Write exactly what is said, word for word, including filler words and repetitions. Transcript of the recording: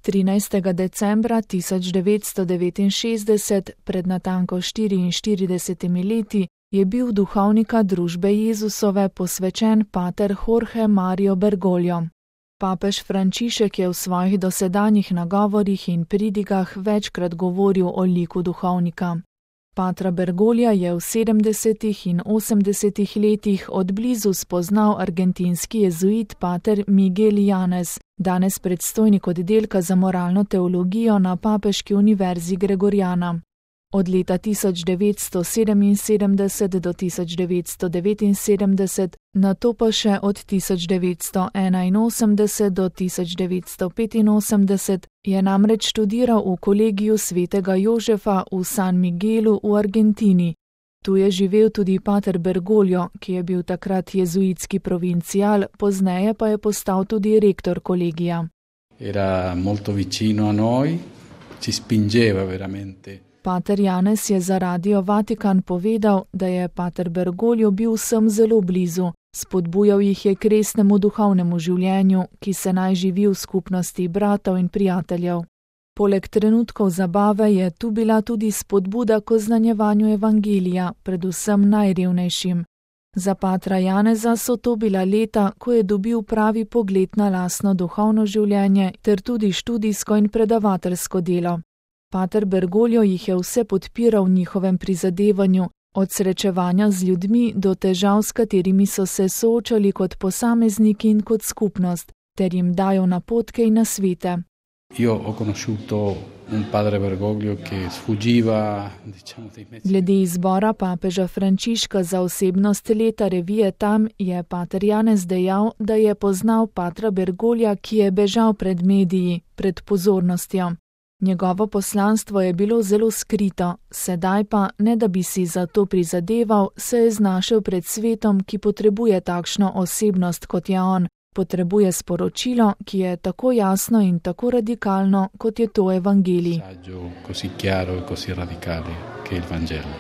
trinajstega decembra tisoč devetsto devetinšestdeset, pred natanko štiriinštiridesetimi leti, je bil duhovnika družbe Jezusove posvečen pater Jorge Mario Bergoglio. Papež Frančišek je v svojih dosedanjih nagovorih in pridigah večkrat govoril o liku duhovnika. Patra Bergoglja je v sedemdesetih in osemdesetih letih od blizu spoznal argentinski jezuit pater Miguel Yanez, danes predstojnik oddelka za moralno teologijo na Papeški univerzi Gregoriana. Od leta tisoč devetsto sedeminsedemdeset do tisoč devetsto devetinsedemdeset, nato pa še od tisoč devetsto enainosemdeset do tisoč devetsto petinosemdeset, je namreč študiral v kolegiju svetega Jožefa v San Miguelu v Argentini. Tu je živel tudi pater Bergoglio, ki je bil takrat jezuitski provincial, pozneje pa je postal tudi rektor kolegija. Era molto vicino a noi, ci spingeva veramente. Pater Janez je za Radio Vatikan povedal, da je pater Bergoglio bil vsem zelo blizu, spodbujal jih je k resnemu duhovnemu življenju, ki se naj živi v skupnosti bratov in prijateljev. Poleg trenutkov zabave je tu bila tudi spodbuda k oznanjevanju evangelija, predvsem najrevnejšim. Za patra Janeza so to bila leta, ko je dobil pravi pogled na lastno duhovno življenje ter tudi študijsko in predavateljsko delo. Pater Bergoglio jih je vse podpiral v njihovem prizadevanju, od srečevanja z ljudmi do težav, s katerimi so se soočali kot posamezniki in kot skupnost, ter jim dajal napotke in nasvete. Io ho conosciuto un padre Bergoglio che sfuggiva, diciamo, dei mezzi. Glede izbora papeža Frančiška za osebnost leta revije Tam je pater Janez dejal, da je poznal patra Bergoglja, ki je bežal pred mediji, pred pozornostjo. Njegovo poslanstvo je bilo zelo skrito, sedaj pa, ne da bi si za to prizadeval, se je znašel pred svetom, ki potrebuje takšno osebnost, kot je on, potrebuje sporočilo, ki je tako jasno in tako radikalno, kot je to evangelij. Così chiaro e così radicale che il Vangelo.